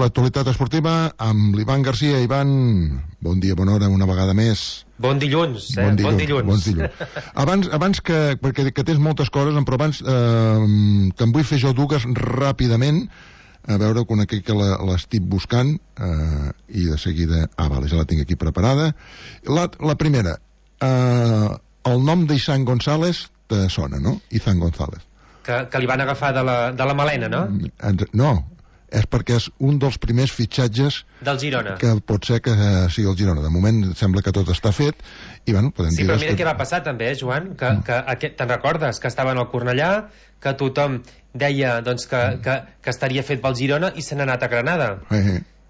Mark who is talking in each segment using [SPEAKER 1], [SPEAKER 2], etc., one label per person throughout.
[SPEAKER 1] l'actualitat esportiva amb l'Ivan Garcia. Ivan, bon dia, bona hora, una vegada més.
[SPEAKER 2] Bon dilluns, Bon dilluns.
[SPEAKER 1] Abans perquè tens moltes coses, però abans te'n vull fer jo dues ràpidament, a veure quan aquí que l'estic buscant, i de seguida... vale, ja la tinc aquí preparada. La primera, el nom d'Izan González te sona, no? Izan González.
[SPEAKER 2] Que li van agafar de la Malena, no?
[SPEAKER 1] No, és perquè és un dels primers fitxatges
[SPEAKER 2] del Girona,
[SPEAKER 1] que pot ser que sigui el Girona. De moment sembla que tot està fet i bueno, podem dir...
[SPEAKER 2] Sí, però mira què va passar també, Joan, que te'n recordes que estaven al Cornellà, que tothom deia doncs, que estaria fet pel Girona i se n'ha anat a Granada,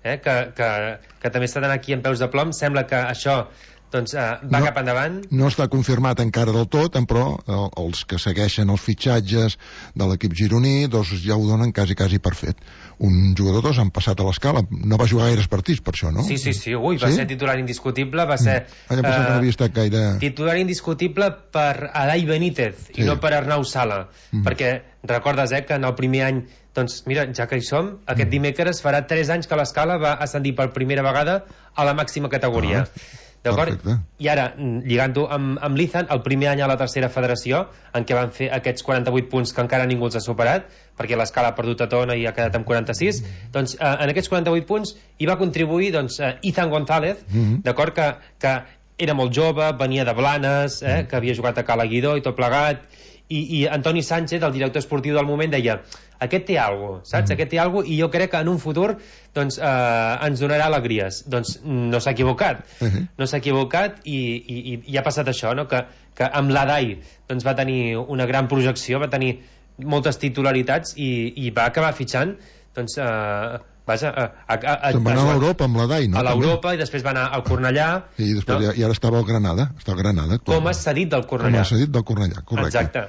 [SPEAKER 2] que també està aquí en peus de plom. Sembla que això doncs, va cap endavant. No
[SPEAKER 1] està confirmat encara del tot, però els que segueixen els fitxatges de l'equip gironí doncs ja ho donen quasi per fet. Un jugador dos han passat a l'escala, no va jugar gaires partits per això, no?
[SPEAKER 2] Sí, va ser titular indiscutible, va ser
[SPEAKER 1] que no havia estat gaire...
[SPEAKER 2] titular indiscutible per Adai Benítez i no per Arnau Sala, perquè recordes que en el primer any, doncs mira, ja que hi som, aquest dimecres farà 3 anys que l'escala va ascendir per primera vegada a la màxima categoria. D'acord? I ara, lligant-ho amb l'Izan, el primer any a la tercera federació, en què van fer aquests 48 punts que encara ningú els ha superat, perquè l'escala ha perdut a Tona i ha quedat amb 46, doncs en aquests 48 punts hi va contribuir Izan González, d'acord, que era molt jove, venia de Blanes, que havia jugat a Cala Guidó i tot plegat, i Antoni Sánchez, el director esportiu del moment, deia: aquest té alguna cosa, saps? Aquest té alguna cosa, i jo crec que en un futur doncs, ens donarà alegries. Doncs no s'ha equivocat. No s'ha equivocat i ha passat això, no? Que amb l'Adai doncs, va tenir una gran projecció, va tenir moltes titularitats i va acabar fitxant doncs,
[SPEAKER 1] se'n va anar a l'Europa amb l'Adai, no?
[SPEAKER 2] A l'Europa, i després va anar al Cornellà.
[SPEAKER 1] I després i ara estava al Granada.
[SPEAKER 2] Com a cedit del Cornellà.
[SPEAKER 1] Com a cedit del Cornellà, correcte.
[SPEAKER 2] Exacte.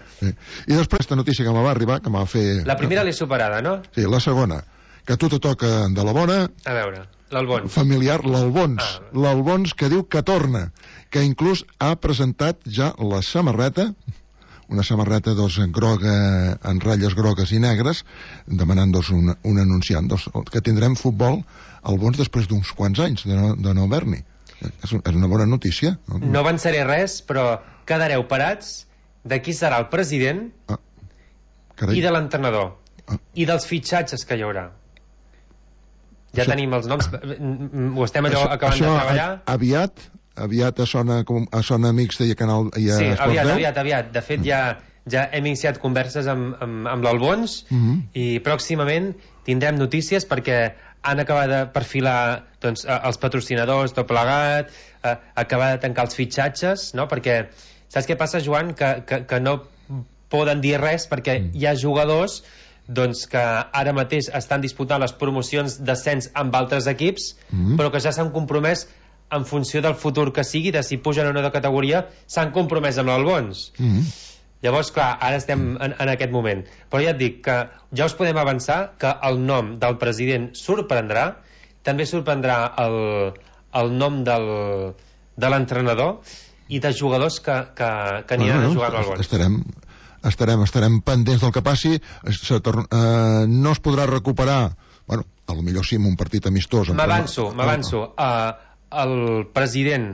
[SPEAKER 1] I després aquesta notícia que me va arribar, que m'ha fet...
[SPEAKER 2] La primera l'he superada, no?
[SPEAKER 1] Sí, la segona, que a tu te toca de la bona...
[SPEAKER 2] A veure, l'Albons.
[SPEAKER 1] Familiar, l'Albons. L'Albons, que diu que torna, que inclús ha presentat ja la samarreta, una samarreta groga, en ratlles grogues i negres, demanant un anunciant que tindrem futbol al Bons després d'uns quants anys de no haver-n'hi. És una bona notícia.
[SPEAKER 2] No avançaré res, però quedareu parats de qui serà el president i de l'entrenador i dels fitxatges que hi haurà. Ja tenim els noms, ho estem acabant de treballar.
[SPEAKER 1] Aviat sona Amics i a Canal i a Esport 10?
[SPEAKER 2] Sí, aviat. De fet, ja hem iniciat converses amb l'Albons i pròximament tindrem notícies perquè han acabat de perfilar doncs, els patrocinadors, tot plegat, acabar de tancar els fitxatges, no? Perquè saps què passa, Joan? Que no poden dir res perquè hi ha jugadors doncs, que ara mateix estan disputant les promocions d'ascens amb altres equips, però que ja s'han compromès en funció del futur que sigui, de si pugen o no de categoria, s'han compromès amb l'Albons. Llavors, clar, ara estem en aquest moment. Però ja et dic que ja us podem avançar que el nom del president sorprendrà, també sorprendrà el nom de l'entrenador i de jugadors que aniran a jugar amb l'Albons.
[SPEAKER 1] Estarem pendents del que passi. No es podrà recuperar, bueno, potser sí amb un partit amistós.
[SPEAKER 2] M'avanço. El president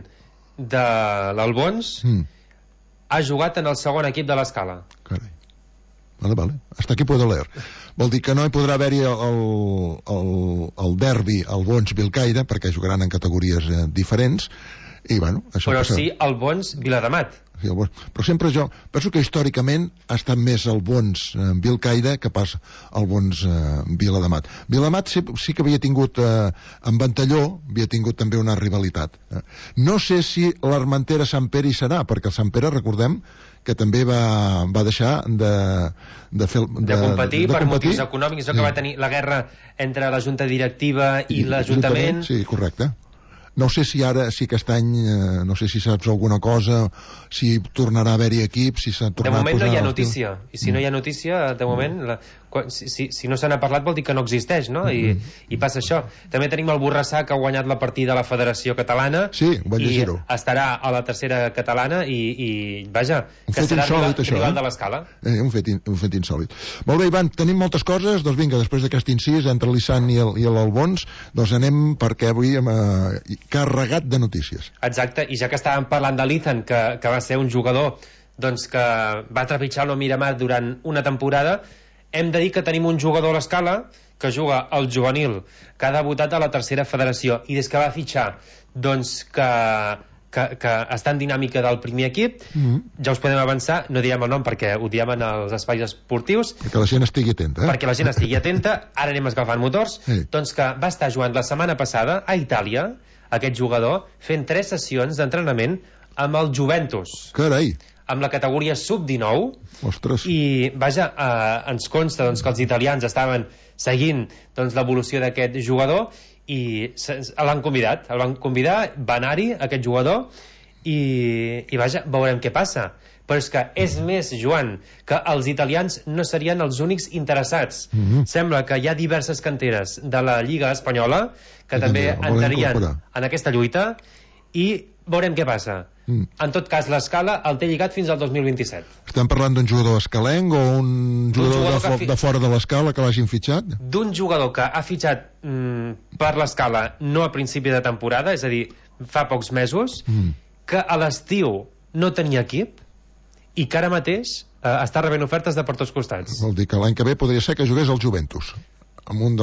[SPEAKER 2] de l'Albons ha jugat en el segon equip de l'Escala.
[SPEAKER 1] Carai. Vale. Hasta aquí puedo leer. Vol dir que no hi podrà haver-hi el derbi Albons-Vilcaire, perquè jugaran en categories diferents, i bueno...
[SPEAKER 2] Però sí Albons-Viladamat.
[SPEAKER 1] Sí, però sempre jo penso que històricament ha estat més Albons-Vilcaire que pas Albons-Viladamat. Viladamat sí que havia tingut amb Ventalló, havia tingut també una rivalitat. No sé si l'Armentera Sant Pere hi serà, perquè el Sant Pere, recordem que també va deixar de
[SPEAKER 2] competir per motius econòmics, que va tenir la guerra entre la junta directiva i l'Ajuntament.
[SPEAKER 1] Sí, correcte. No sé si ara, si aquest any, no sé si saps alguna cosa, si tornarà a haver-hi equip, si s'ha tornat a posar...
[SPEAKER 2] De moment no hi ha notícia, i si no hi ha notícia, de moment, si no se n'ha parlat vol dir que no existeix, no? I passa això. També tenim el Borrassà, que ha guanyat la partida a la Federació Catalana, i estarà a la tercera catalana, i vaja, que serà rival de l'Escala.
[SPEAKER 1] Un fet insòlit. Molt bé, Ivan, tenim moltes coses, doncs vinga, després d'aquest incís entre l'Issan i l'Albons, doncs anem, perquè avui hem carregat de notícies.
[SPEAKER 2] Exacte, i ja que estàvem parlant de l'Ethan, que va ser un jugador doncs, que va trepitjar el Miramar durant una temporada, hem de dir que tenim un jugador a l'Escala que juga al juvenil, que ha debutat a la tercera federació, i des que va fitxar doncs que està en dinàmica del primer equip, ja us podem avançar, no direm el nom perquè ho diem en els espais esportius,
[SPEAKER 1] perquè la gent estigui atenta,
[SPEAKER 2] perquè la gent estigui atenta. Ara anem escalfant motors. Doncs que va estar jugant la setmana passada a Itàlia, aquest jugador, fent 3 sessions d'entrenament amb el Juventus.
[SPEAKER 1] Carai!
[SPEAKER 2] Amb la categoria sub-19.
[SPEAKER 1] Ostres.
[SPEAKER 2] I vaja, ens consta doncs, que els italians estaven seguint doncs, l'evolució d'aquest jugador i el van convidar, va anar-hi aquest jugador, i vaja, veurem què passa. Però és que és més, Joan, que els italians no serien els únics interessats. Sembla que hi ha diverses canteres de la Lliga Espanyola que també entrarien en aquesta lluita, i veurem què passa. En tot cas, l'Escala el té lligat fins al 2027.
[SPEAKER 1] Estem parlant d'un jugador escalenc o un jugador de fora de l'Escala que l'hagin fitxat?
[SPEAKER 2] D'un jugador que ha fitxat per l'Escala no a principi de temporada, és a dir, fa pocs mesos, que a l'estiu no tenia equip i que ara mateix està rebent ofertes de per tots costats.
[SPEAKER 1] Vol dir que l'any que ve podria ser que jugués al Juventus, amb un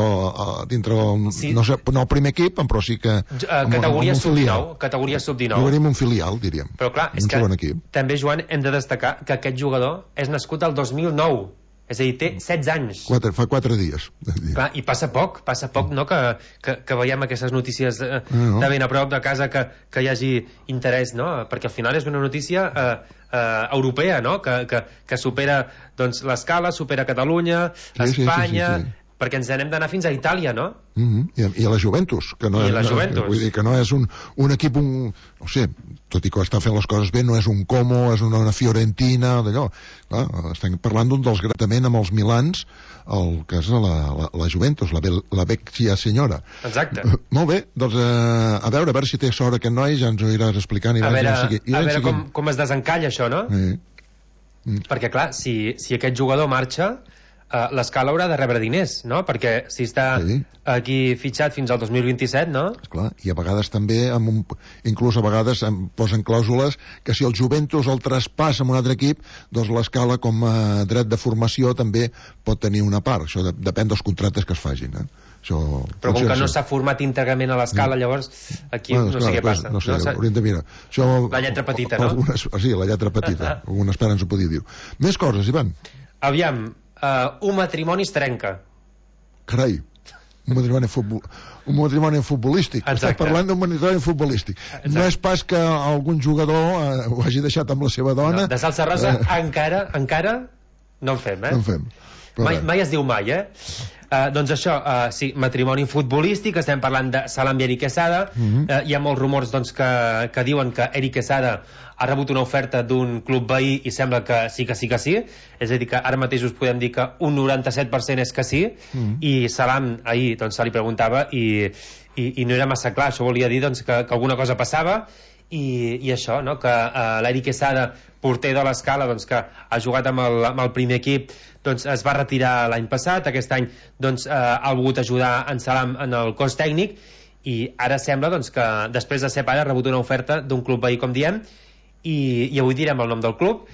[SPEAKER 1] dintre no sé, no el primer equip, però sí que
[SPEAKER 2] categoria sub-19.
[SPEAKER 1] Jugaríem un filial, diríem.
[SPEAKER 2] Però clar, és que també, Joan, hem de destacar que aquest jugador és nascut al 2009, és a dir, té 16 anys.
[SPEAKER 1] Fa 4 dies.
[SPEAKER 2] Clar, i passa poc, no? Que veiem aquestes notícies de ben a prop de casa, que hi hagi interès, no? Perquè al final és una notícia europea, no? Que supera doncs, l'Escala, supera Catalunya, Espanya... Sí. Perquè ens n'hem d'anar fins a Itàlia, no?
[SPEAKER 1] I a la Juventus, que no vull dir que no és un equip, no sé, tot i que està fent les coses bé, no és un Como, és una Fiorentina, d'allò. Estem parlant d'un dels gratament amb els Milans, el que és la Juventus, la vecchia senyora.
[SPEAKER 2] Exacte.
[SPEAKER 1] Molt bé, doncs a veure si té sort aquest noi, ja ens ho iràs explicant.
[SPEAKER 2] A veure com es desencalla això, no? Perquè clar, si aquest jugador marxa, l'Escala haurà de rebre diners, no? Perquè si està aquí fitxat fins al 2027, no?
[SPEAKER 1] Esclar, i a vegades també inclús a vegades posen clàusules que si el Juventus el traspassa amb un altre equip, doncs l'Escala com a dret de formació també pot tenir una part. Això depèn dels contractes que es facin,
[SPEAKER 2] però com que no s'ha format íntegrament a l'Escala, llavors aquí no sé què passa.
[SPEAKER 1] No sé, hauríem de mirar.
[SPEAKER 2] La lletra petita, no?
[SPEAKER 1] Sí, la lletra petita. Algunes pares ens ho podia dir. Més coses, Ivan.
[SPEAKER 2] Aviam, un matrimoni es trenca.
[SPEAKER 1] Carai, un matrimoni futbolístic. Estàs parlant d'un matrimoni futbolístic. No és pas que algun jugador ho hagi deixat amb la seva dona.
[SPEAKER 2] De salsa rosa encara no en fem,
[SPEAKER 1] No en fem.
[SPEAKER 2] Mai es diu mai, doncs això, sí, matrimoni futbolístic. Estem parlant de Salam i Eric Quesada. Hi ha molts rumors doncs, que diuen que Eric Quesada ha rebut una oferta d'un club veí i sembla que sí. És a dir, que ara mateix us podem dir que un 97% és que sí, i Salam ahir doncs, se li preguntava i no era massa clar. Això volia dir doncs, que alguna cosa passava. I això, no? Que l'Eric Quesada, porter de l'Escala, doncs, que ha jugat amb el primer equip, doncs, es va retirar l'any passat. Aquest any doncs, ha volgut ajudar en Salam en el cos tècnic, i ara sembla doncs, que després de ser pare ha rebut una oferta d'un club veí, com diem, i avui direm el nom del club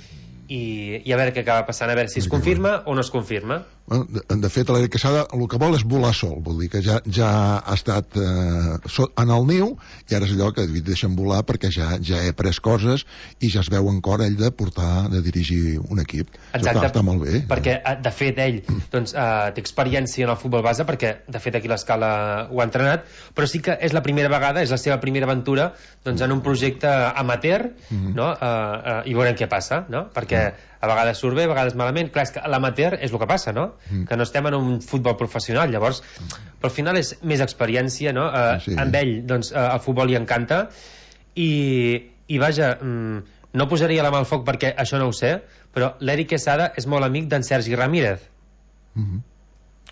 [SPEAKER 2] i a veure què acaba passant, a veure si es confirma o no es confirma.
[SPEAKER 1] De fet, l'Eric Quesada el que vol és volar sol, vol dir que ja ha estat en el niu, i ara és allò que deixen volar perquè ja he après coses i ja es veu en cor ell de dirigir un equip.
[SPEAKER 2] Exacte,
[SPEAKER 1] està molt bé.
[SPEAKER 2] Perquè de fet ell doncs, té experiència en el futbol base, perquè de fet aquí l'Escala ho ha entrenat, però sí que és la primera vegada, és la seva primera aventura doncs, en un projecte amateur, no? I veurem què passa, no? Perquè a vegades surt bé, a vegades malament. Clar, és que l'amateur és el que passa, no? Que no estem en un futbol professional, llavors però al final és més experiència, no? Amb ell doncs, el futbol li encanta i vaja, no posaria la mà al foc perquè això no ho sé, però l'Eric Quesada és molt amic d'en Sergi Ramírez.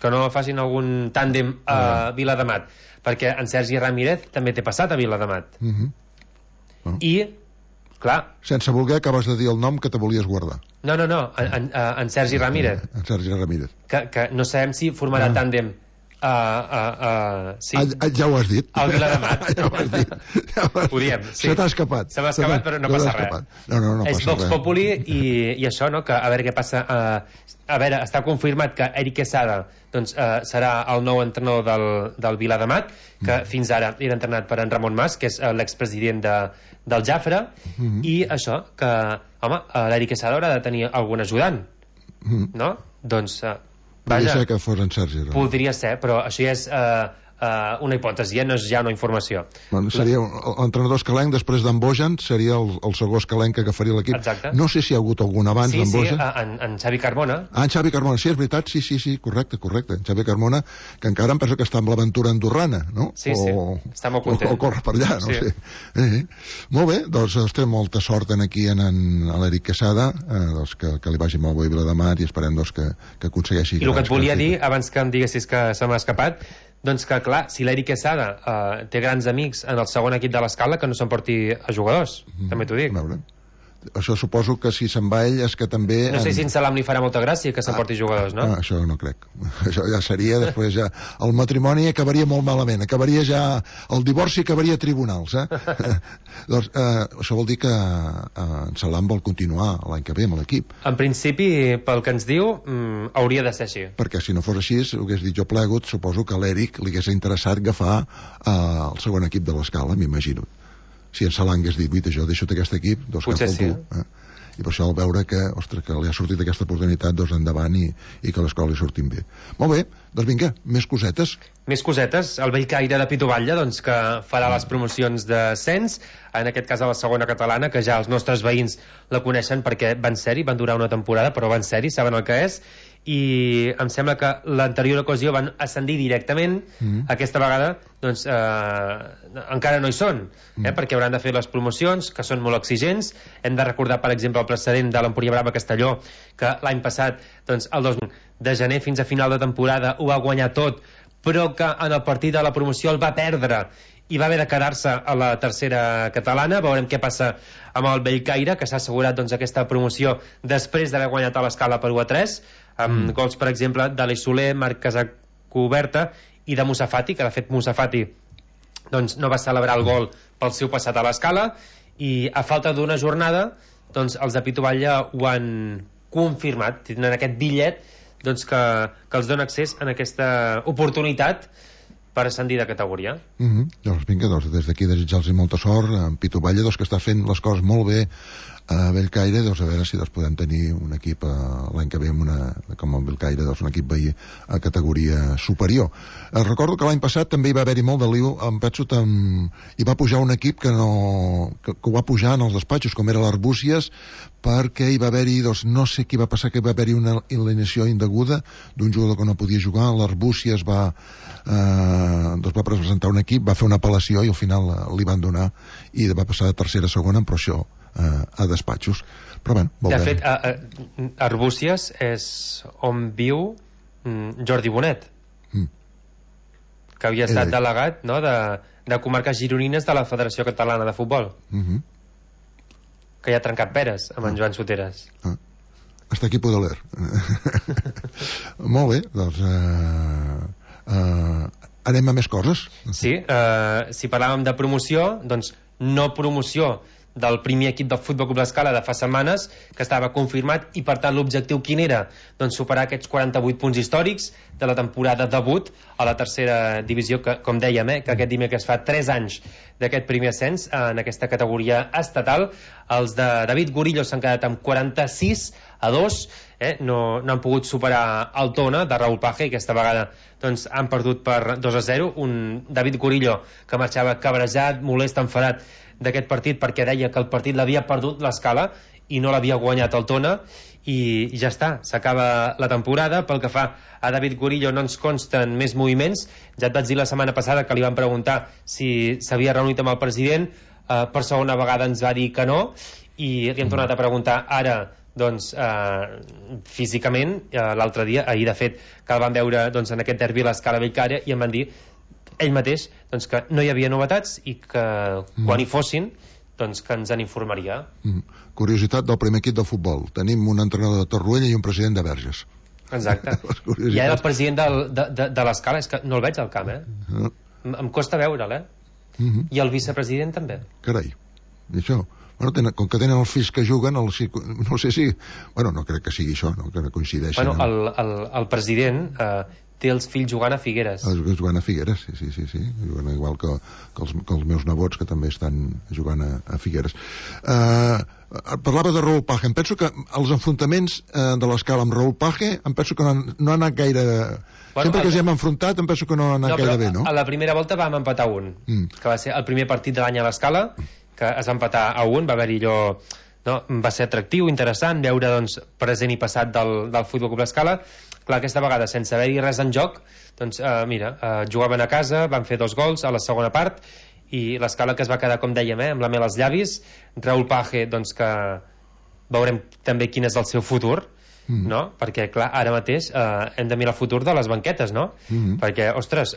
[SPEAKER 2] Que no facin algun tàndem a Viladamat, perquè en Sergi Ramírez també té passat a Viladamat. I, clar...
[SPEAKER 1] Sense voler acabes de dir el nom que te volies guardar.
[SPEAKER 2] No, en Sergi Ramírez.
[SPEAKER 1] En Sergi Ramírez.
[SPEAKER 2] Que no sabem si formarà tàndem
[SPEAKER 1] sí. Ja ho has dit.
[SPEAKER 2] El Viladamat.
[SPEAKER 1] Ja ho has dit.
[SPEAKER 2] Ho diem, sí.
[SPEAKER 1] Se t'ha escapat.
[SPEAKER 2] Se m'ha escapat, però no passa res.
[SPEAKER 1] No
[SPEAKER 2] és Vox Populi i això, no? Que a veure què passa. A veure, està confirmat que Eric Quesada doncs, serà el nou entrenador del Viladamat, que fins ara era entrenat per en Ramon Mas, que és l'expresident del Jafre, i això, que home, l'Eric Quesada haurà de tenir algun ajudant, no? Doncs
[SPEAKER 1] podria ser que fos en Sergi.
[SPEAKER 2] Podria ser, però això ja és una hipòtesi, no és ja una informació.
[SPEAKER 1] Bueno, seria l'entrenador escalenc, després d'en Bojan seria el segon escalenc que agafaria l'equip.
[SPEAKER 2] Exacte.
[SPEAKER 1] No sé si hi ha hagut algun abans d'en Bojan.
[SPEAKER 2] Sí, en Xavi Carmona.
[SPEAKER 1] En Xavi Carmona, sí, és veritat, sí, correcte. En Xavi Carmona, que encara em penso que està amb l'aventura andorrana, no?
[SPEAKER 2] Sí, està molt content.
[SPEAKER 1] O corre per allà, no sé. Molt bé, doncs té molta sort aquí en l'Eric Quesada, doncs que li vagi molt bé a Viladamat i esperem doncs, que aconsegueixi...
[SPEAKER 2] I el que et volia dir, abans que em diguessis que se m'ha escapat, doncs que, clar, si l'Eric Quesada té grans amics en el segon equip de l'Escala, que no s'emporti a jugadors, també t'ho dic.
[SPEAKER 1] A veure. Això suposo que si se'n va ell és que també...
[SPEAKER 2] No sé si en Salam li farà molta gràcia que s'emporti jugadors, no?
[SPEAKER 1] Això no crec. Això ja seria, després ja... El matrimoni acabaria molt malament, acabaria ja... El divorci acabaria a tribunals, Doncs això vol dir que en Salam vol continuar l'any que ve amb l'equip.
[SPEAKER 2] En principi, pel que ens diu, hauria de ser així.
[SPEAKER 1] Perquè si no fos així, ho hagués dit jo plegut, suposo que a l'Eric li hagués interessat agafar el segon equip de l'Escala, m'imagino. Si en Salam hagués dit, jo deixo aquest equip, doncs
[SPEAKER 2] potser
[SPEAKER 1] cap al tu. I per això al veure que, ostres, que li ha sortit aquesta oportunitat, doncs endavant i que les coses li surtin bé. Molt bé, doncs vinga, més cosetes.
[SPEAKER 2] Més cosetes, el Bellcaire de Pitoballa, doncs, que farà les promocions d'ascens, en aquest cas a la segona catalana, que ja els nostres veïns la coneixen perquè van ser-hi, van durar una temporada, però van ser-hi, saben el que és, i em sembla que l'anterior ocasió van ascendir directament, aquesta vegada doncs encara no hi són, perquè hauran de fer les promocions, que són molt exigents. Hem de recordar, per exemple, el precedent de l'Empúria Brava Castelló, que l'any passat, doncs, el 2 de gener fins a final de temporada ho va guanyar tot, però que en el partit de la promoció el va perdre i va haver de quedar-se a la tercera catalana. Veurem què passa amb el Bellcaire, que s'ha assegurat doncs, aquesta promoció després d'haver guanyat a l'Escala per 1-3, amb gols, per exemple, d'Aleix Soler, Marc Casacuberta i de Musafati, que de fet Musafati doncs, no va celebrar el gol pel seu passat a l'Escala, i a falta d'una jornada doncs, els de Pitoballa ho han confirmat, tenen aquest bitllet doncs, que els dona accés en aquesta oportunitat per ascendir de categoria.
[SPEAKER 1] Doncs vinga, des d'aquí desitjar-los molta sort en Pitoballa, que està fent les coses molt bé a Bellcaire, a veure si podem tenir un equip l'any que ve com el Bellcaire, un equip veí a categoria superior. Recordo que l'any passat també hi va haver-hi molt de lío, em penso que hi va pujar un equip que ho va pujar en els despatxos, com era l'Arbúcies, perquè hi va haver-hi, no sé què va passar, que va haver-hi una alineació indeguda d'un jugador que no podia jugar. L'Arbúcies va presentar un equip, va fer una apel·lació i al final li van donar i va passar de tercera a segona, però això a despatxos. Però bé,
[SPEAKER 2] de fet, Arbúcies és on viu Jordi Bonet, que havia estat delegat, no?, de comarques gironines de la Federació Catalana de Futbol, que ja ha trencat peres amb en Joan Soteres.
[SPEAKER 1] Hasta aquí puedo leer. Molt bé, doncs anem a més coses.
[SPEAKER 2] Sí, si parlàvem de promoció, doncs no promoció del primer equip del Futbol Club L'Escala de fa setmanes, que estava confirmat, i per tant l'objectiu quin era? Doncs superar aquests 48 punts històrics de la temporada debut a la tercera divisió, que com dèiem, que aquest dimecres fa 3 anys d'aquest primer ascens en aquesta categoria estatal. Els de David Gorillo s'han quedat amb 46-2, no han pogut superar el Tona de Raúl Paje, i aquesta vegada doncs, han perdut per 2-0, un David Gorillo que marxava cabrejat, molest, enfadat d'aquest partit, perquè deia que el partit l'havia perdut l'Escala i no l'havia guanyat el Tona, i ja està, s'acaba la temporada. Pel que fa a David Gorillo, no ens consten més moviments. Ja et vaig dir la setmana passada que li van preguntar si s'havia reunit amb el president, per segona vegada ens va dir que no, i li hem tornat a preguntar ara doncs físicament l'altre dia, ahir de fet que el van veure doncs, en aquest derbi a l'Escala Bellcaire, i em van dir ell mateix doncs, que no hi havia novetats i que quan hi fossin doncs, que ens en informaria.
[SPEAKER 1] Curiositat del primer equip de futbol: tenim un entrenador de Torroella i un president de Verges.
[SPEAKER 2] Exacte. I ara el president de l'Escala és que no el veig al camp, em costa veure'l, i el vicepresident també.
[SPEAKER 1] Carai, i això, bueno, com que tenen els fills que juguen, no sé si... Bueno, no crec que sigui això, no? Que no coincideixen.
[SPEAKER 2] Bueno, el president té els fills jugant a Figueres.
[SPEAKER 1] Jugant a Figueres, sí. Jugant igual que els meus nebots, que també estan jugant a Figueres. Parlava de Raúl Page. Em penso que els enfrontaments de l'Escala amb Raúl Page, em penso que no ha anat gaire... Bueno, sempre que ens hem enfrontat, em penso que no ha anat gaire bé, no?
[SPEAKER 2] A la primera volta vam empatar 1, que va ser el primer partit de l'any a l'Escala, que es va empatar a 1, va haver-hi allò... No? Va ser atractiu, interessant veure doncs, present i passat del Futbol Club l'Escala. Clar, aquesta vegada sense haver-hi res en joc, doncs jugaven a casa, van fer 2 gols a la segona part, i l'Escala que es va quedar, com dèiem, amb la mel als llavis. Raúl Page, doncs, que veurem també quin és el seu futur, no? Perquè clar, ara mateix hem de mirar el futur de les banquetes, no? Perquè, ostres,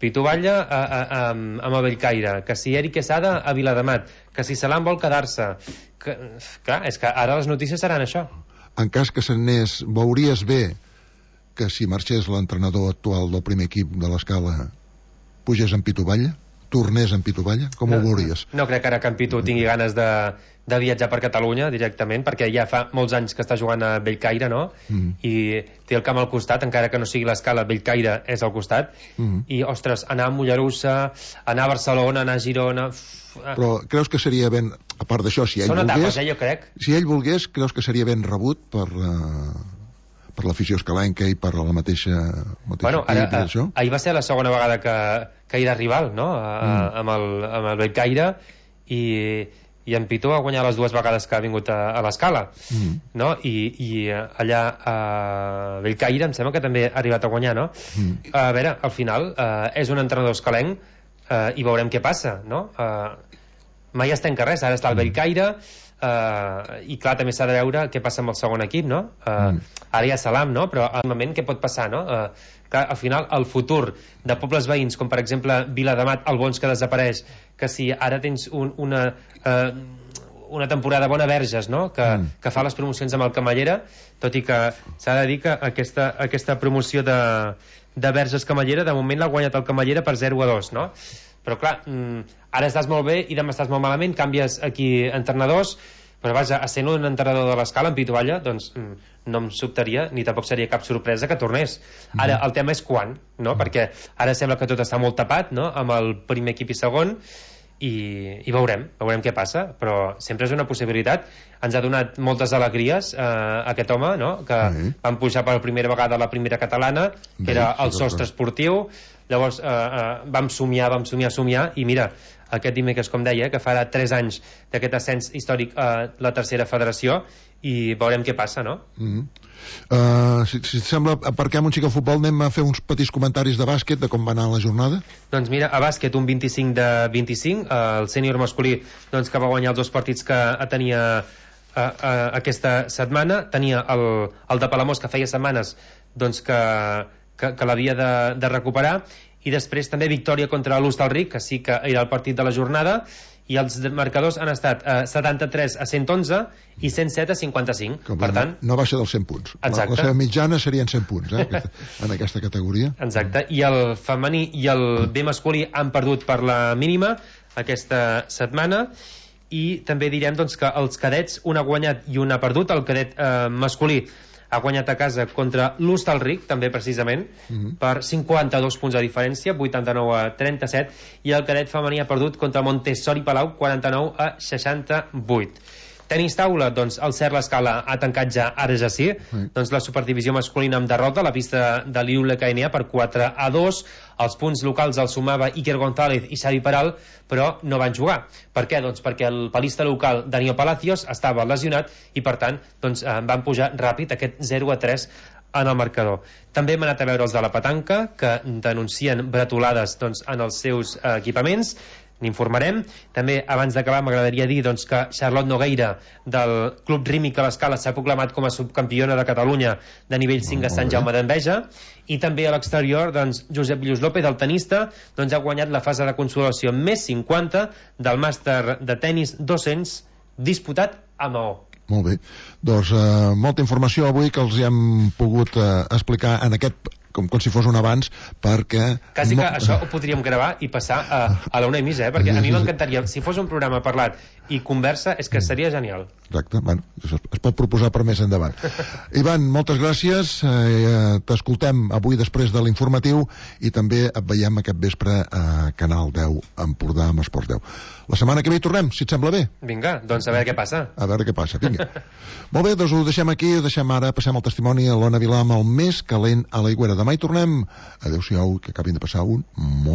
[SPEAKER 2] Pitu Batlle amb el Bellcaire, que si Eric Quesada a Viladamat, que si Salam vol quedar-se, clar, és que ara les notícies seran això.
[SPEAKER 1] En cas que se n'anés, veuries bé que si marxés l'entrenador actual del primer equip de l'Escala pugés en Pitu Batlle? Tornés en Pitu Batlle? Com ho veuries?
[SPEAKER 2] No crec que ara que en Pitu tingui ganes de viatjar per Catalunya directament, perquè ja fa molts anys que està jugant a Bellcaire, no? I té el camp al costat, encara que no sigui l'Escala, Bellcaire és al costat, i ostres, anar a Mollerussa, anar a Barcelona, anar a Girona...
[SPEAKER 1] Però creus que seria ben, a part d'això, si ell
[SPEAKER 2] volgués... Són etapes,
[SPEAKER 1] jo
[SPEAKER 2] crec.
[SPEAKER 1] Si ell volgués, creus que seria ben rebut per l'afició escalenca i per la mateixa
[SPEAKER 2] bueno, ahir va ser la segona vegada que era rival, no? Amb el Bellcaire, i en Pitu ha guanyat les 2 vegades que ha vingut a l'Escala, no? I allà a Bellcaire em sembla que també ha arribat a guanyar, no? A veure, al final és un entrenador escalenc, i veurem què passa, no? Mai es tanca res, ara està el Bellcaire, i clar, també s'ha de veure què passa amb el segon equip, no? Ara hi ha Salam, no? Però al moment què pot passar, no? Clar, al final el futur de pobles veïns, com per exemple Viladamat, Albons, que desapareix, que si ara tens una temporada bona Verges, no? Que fa les promocions amb el Camallera, tot i que s'ha de dir que aquesta promoció de Verges Camallera de moment l'ha guanyat el Camallera per 0-2, no? Però clar, ara estàs molt bé i demà estàs molt malament, canvies aquí entrenadors, però vaja, essent un entrenador de l'Escala en Pitu Batlle, doncs no em sobtaria ni tampoc seria cap sorpresa que tornés. Ara el tema és quan, no? Perquè ara sembla que tot està molt tapat, no? Amb el primer equip i segon, i veurem què passa, però sempre és una possibilitat. Ens ha donat moltes alegries aquest home, no? Que van pujar per primera vegada a la primera catalana, que era el sostre esportiu. Llavors vam somiar, i mira, aquest dimecres, com deia, que farà 3 anys d'aquest ascens històric a la tercera federació, i veurem què passa, no?
[SPEAKER 1] Si et sembla, aparquem un xic al futbol, anem a fer uns petits comentaris de bàsquet, de com va anar la jornada.
[SPEAKER 2] Doncs mira, a bàsquet un 25-25, el sènior masculí doncs, que va guanyar els 2 partits que tenia aquesta setmana. Tenia el de Palamós, que feia setmanes doncs, que l'havia de recuperar, i després també victòria contra l'Hostalric, que sí que era el partit de la jornada, i els marcadors han estat 73-111 i 107-55. Per tant,
[SPEAKER 1] no baixa dels 100 punts.
[SPEAKER 2] Exacte.
[SPEAKER 1] La seva mitjana serien 100 punts, en aquesta categoria.
[SPEAKER 2] Exacte. I el femení i el B masculí han perdut per la mínima aquesta setmana, i també direm doncs, que els cadets, un ha guanyat i un ha perdut. El cadet masculí ha guanyat a casa contra l'Hostalric, també precisament, per 52 punts de diferència, 89-37, i el cadet femení ha perdut contra Montessori Palau, 49-68. Tenis taula, doncs el Cer l'Escala ha tancat ja, ara ja sí, doncs la superdivisió masculina amb derrota a la pista de l'IULE KNA per 4-2. Els punts locals els sumava Iker González i Xavi Peral, però no van jugar. Per què? Doncs perquè el palista local Daniel Palacios estava lesionat i per tant doncs, van pujar ràpid aquest 0-3 en el marcador. També hem anat a veure els de la petanca, que denuncien bretolades doncs, en els seus equipaments. n'informarem. També, abans d'acabar, m'agradaria dir doncs, que Charlotte Nogueira, del Club Rímic a l'Escala, s'ha proclamat com a subcampiona de Catalunya de nivell 5 a Sant Jaume d'Enveja, i també a l'exterior doncs, Josep Lluís López, el tenista, doncs, ha guanyat la fase de consolació més 50 del màster de tennis 200 disputat a Maó.
[SPEAKER 1] Molt bé, doncs molta informació avui que els hem pogut explicar en aquest, com si fos un abans, perquè...
[SPEAKER 2] Quasi que això ho podríem gravar i passar a la 1:30, perquè a mi m'encantaria, si fos un programa parlat i conversa, és que seria genial.
[SPEAKER 1] Exacte, bueno, es pot proposar per més endavant. Ivan, moltes gràcies, t'escoltem avui després de l'informatiu i també et veiem aquest vespre a Canal 10 Empordà amb Esports 10. La setmana que ve hi tornem, si et sembla bé.
[SPEAKER 2] Vinga, doncs a veure què passa.
[SPEAKER 1] A veure què passa, vinga. Molt bé, doncs ho deixem aquí, ho deixem ara, passem al testimoni a l'Ona Vilà amb el més calent a l'Aigüera. Demà hi tornem. Adéu-siau, que acabin de passar un molt